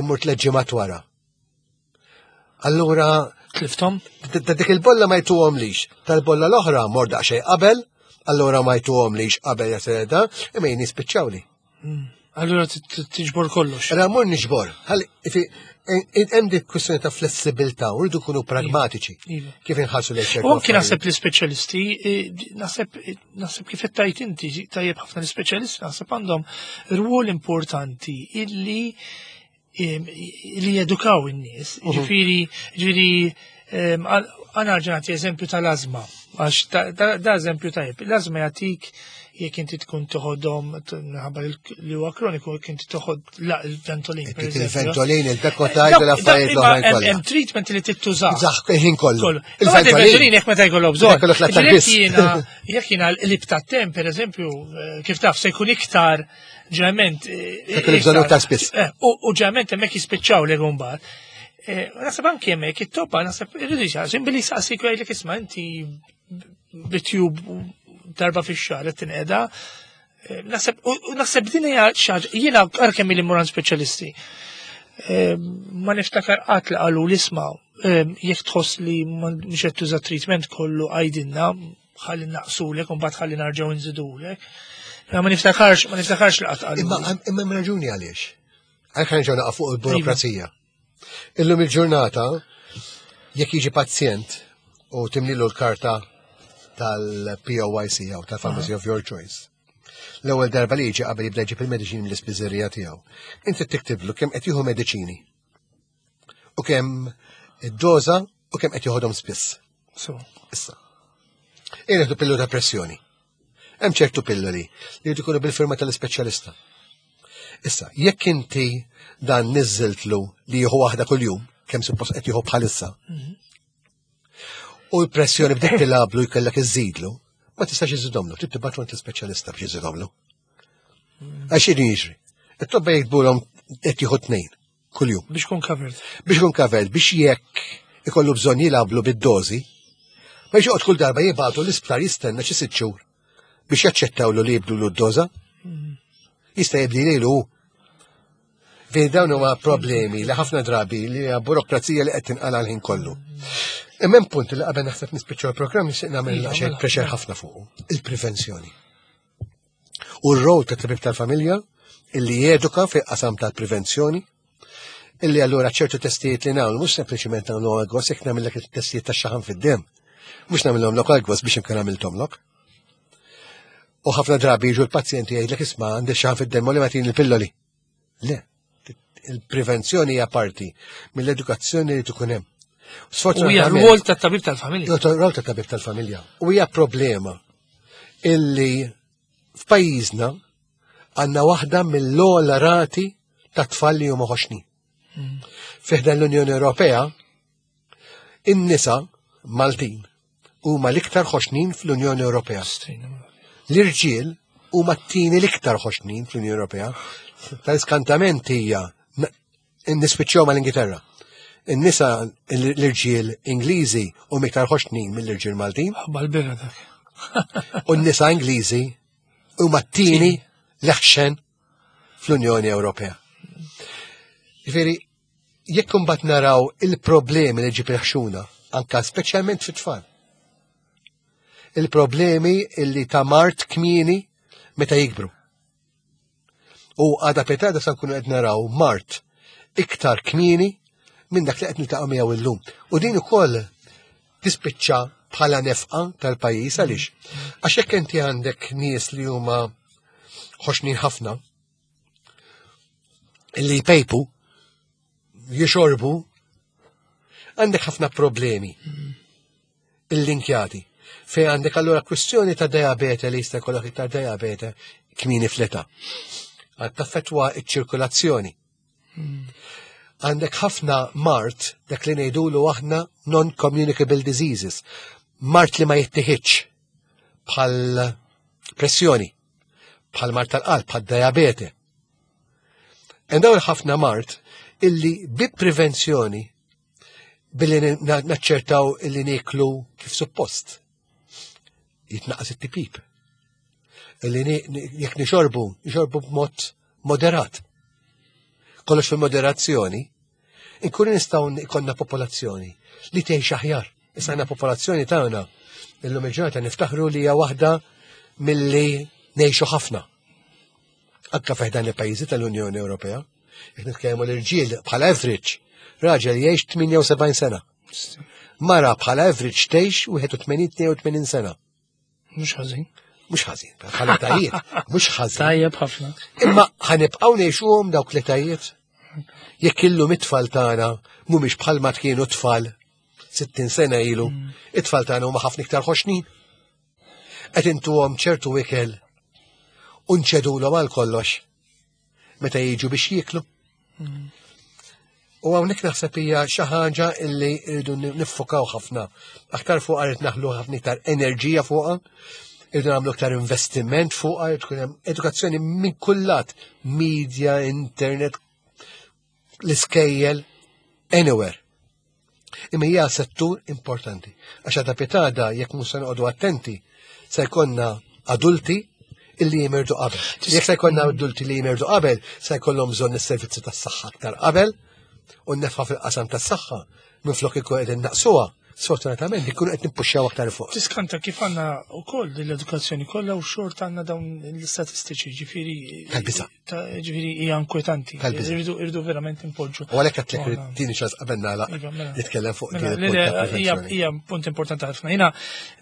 immur tliet ġimgħat wara. Allura. Tliftom? Ta' dik il-bolla ma jtuhom lix. Tal-bolla l-oħra mor daqsxejn qabel, allura ma jtuhom lix qabel jaseda, imma jien jispiċċawli. Hmm. Allura tiġbor kollox. Allura mur niġbor. Hemm dik kwistjoni ta' flessibilità u rridu kunu pragmatiċi. Iva. Kif inħarsu lejn ċertu. U anki naħseb l-ispeċjalisti, eh, naħseb naħseb kif qed tajt inti tajjeb ħafna l-ispeċjalisti naħseb għandhom rwol importanti illi li jedukaw in-nies. Mhm. Ġifieri, ġifieri għana ġenati eżempju tal-azma, għax da eżempju tajb. L-azma jagħtik jekk inti tkun toħodhom minħabba li huwa kroniku jekk inti toħod il-ventolin. Il-ventolin, il-bekotajt, l-affarijiet l-oħrajn kollha. Hemm treatment li tittuża. Zaħ ħin kollu. Il-ventolin jekk meta jkollok bżonn. Jekk jiena l-lib tat-tem, pereżempju, eh, kif taf se jkun iktar ġeneralment. Eh, Dak li bżonnu ta' spiss. Eh, u ġeneralment hemmhekk jispiċċaw li mbagħad. Eh, naħseb anki hemmhekk it-topa naħseb irridu jisaqsi billi jisaqsik jgħidlek isma' inti bitjub darba fix-xahar qed tinqeda. Naħseb u naħseb din hija xi ħaġa jiena kemm li muran speċjalisti. Ma niftakar qatt li qalu li isma' jekk tħoss li mhux qed tuża treatment kollu għajdilna ħalli naqsulek u mbagħad ħalli narġgħu nżidulek. Ma niftakarx, ma niftakarx li qatt Imma imma raġuni għaliex. Għalhekk ħanġew naqa' fuq il-burokrazija. Iva. Illum il-ġurnata jekk jiġi pazjent u timlilu l-karta tal-POYC jew tal-Pharmacy of Your Choice. L-ewwel darba li jiġi qabel jibda jġib il-mediċini mill-ispiżerija tiegħu. Inti tiktiblu kemm qed jieħu mediċini u kemm id-doża u kemm qed joħodhom spiss. So. Issa. Irridu pillu ta' pressjoni. Hemm ċertu pilloli li jridu jkunu bil-firma tal-ispeċjalista. Issa, jekk inti dan niżżiltlu li jieħu waħda kuljum, kemm suppost qed jieħu bħalissa, mhm. u l-pressjoni bdiet tilablu jkellek iżidlu, ma tistax iżidhomlu, trid tibgħatu għand l-ispeċjalista biex iżidhomlu. Mhm. Għax jiġri. It-tobba jikbulhom qed jieħu tnejn. Kuljum. Biex kun covered. Biex kun covered, biex jekk ikollu bżonn jilgħablu bid-dożi, ma joqgħod kull darba jibgħatu l-isptar jistenna xi sitt xhur biex jaċċettawlu li jibdlu d-doża. Jista' jibdi lilu. Fejn dawn huma problemi li ħafna drabi li hija burokrazija li qed tinqala l-ħin kollu. Imma hemm punt li qabel naħseb nispiċċaw il-programm nixtieq nagħmel Iva, xejn mela, pressure mela. ħafna fuqu, il-prevenzjoni. U r-rol ta' tabib tal-familja illi jeduka fi qasam tal-prevenzjoni, illi allura ċertu testijiet li nagħmlu mhux sempliċiment nagħmlu għal jekk nagħmellek it-testijiet tax-xaħam fid-dem. Mhux nagħmilhom lok għal biex inkun għamilthomlok. U ħafna drabi jiġu l-pazjenti jgħidlek isma' għandi xaħam fid-dem u li ma tini l-pilloli. Le, il-prevenzjoni hija parti mill-edukazzjoni li tkun hemm. U hija rwol tat-tabib tal-familja. Rwol tat-tabib tal-familja. U hija problema illi f'pajjiżna għandna waħda mill-ogħla rati ta' tfal li huma ħoxnin. Fiħdan l-Unjoni Ewropea, in-nisa Maltin huma l-iktar ħoxnin fl-Unjoni Ewropea. L-irġiel huma t-tieni l-iktar ħoxnin fl-Unjoni Ewropea. Tal-iskantament hija nispiċċew mal-Ingilterra. In-nisa l-irġiel Ingliżi huma iktar ħoxnin mill-irġiel Maltin. Bal-birra dak. U n-nisa Ingliżi huma t-tieni l-eħxen fl-Unjoni Ewropea. Ġifieri, jekk imbagħad naraw il-problemi li ġib il-ħxuna, anka speċjalment fit-tfal. Il-problemi illi ta' mart kmieni meta jikbru. U għada petada sa nkunu qed naraw mart iktar kmieni minn dak li qed niltaqgħu miegħu illum. U din ukoll tispiċċa bħala nefqa tal-pajjiż għaliex. Għax jekk inti għandek nies li huma ħoxnin ħafna, illi jpejpu, jixorbu, għandek ħafna problemi il-linkjati. Fej għandek allura kwistjoni ta' diabete li jista' jkollok iktar diabete kmieni fl-età. Għad taffetwa iċ-ċirkulazzjoni. Għandek ħafna mart dak li ngħidulu aħna non-communicable diseases. Mart li ma jittieħidx bħal pressjoni, bħal mart tal-qalb, bħal diabete. Hemm dawn ħafna mart illi bi prevenzjoni billi naċċertaw illi niklu kif suppost. Jitnaqqas it-tipip. Illi jekk nixorbu, nixorbu b'mod moderat. Kollox fil-moderazzjoni, inkunu nistgħu ikollna popolazzjoni li tgħix aħjar. Issa għandna popolazzjoni tagħna illum il-ġurnata niftaħru li hija waħda milli ngħixu ħafna. Anka fih dan il-pajjiżi tal-Unjoni Ewropea. Jekk nitkellmu l-irġiel bħala average, raġel jgħix 78 sena. Mara bħala average tgħix 81-82 sena. Mhux ħażin. Mhux ħażin, bħala tajiet, mhux ħażin. Tajjeb ħafna. Imma ħanibqgħu ngħixuhom dawk l-etajiet. Jekk illum it-tfal tagħna mhumiex bħalma kienu tfal 60 sena ilu, it-tfal tagħna huma ħafna iktar ħoxnin. Qed intuhom ċertu ikel u nċedulhom għal kollox meta jiġu biex jieklu. U hawnhekk naħseb hija xi ħaġa illi rridu niffokaw ħafna. Aktar fuqha rrid naħlu ħafna iktar enerġija fuqha, irridu nagħmlu iktar investiment fuqha, jrid tkun hemm edukazzjoni minn kull lat, media, internet, l-iskejjel, anywhere. Imma hija settur importanti. Għax għada pitada jekk mhux se noqogħdu attenti, se jkollna adulti illi jimirdu qabel. Jekk se jkollna adulti li jimirdu qabel, se jkollhom bżonn is-servizzi tas-saħħa aktar qabel u n-nefqa fil-qasam tas-saħħa minflok ikun qegħdin naqsuha, sfortunatament ikunu qed nippuxxjaw aktar fuq. Tiskanta kif għandna wkoll din l-edukazzjoni kollha u xort għandna dawn l-istatistiċi, ġifieri. Tal-biża'. Ġifieri hija inkwetanti. Tal-biża'. Irridu verament impoġġu. U għalhekk għedtlek tini ċans qabel nagħlaq Iva, mela. nitkellem fuq Mela, din il-punt le, ta' le, hija prevenzjoni. hija punt importanti ħafna. Jiena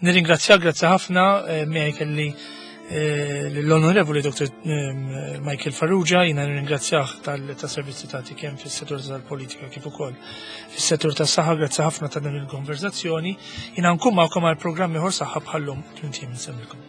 nirringrazzjak, grazzi ħafna, miegħi kelli l-Onorevoli Dr. Michael Farrugia, jiena nirringrazzjah tal-servizzi tagħti kemm fis-settur tal-politika kif ukoll fis-settur tas-saħħa, grazzi ħafna ta' din il-konverzazzjoni. Jiena nkun magħkom għal programm ieħor saħħa bħallum tmien ijiem insemmilkom.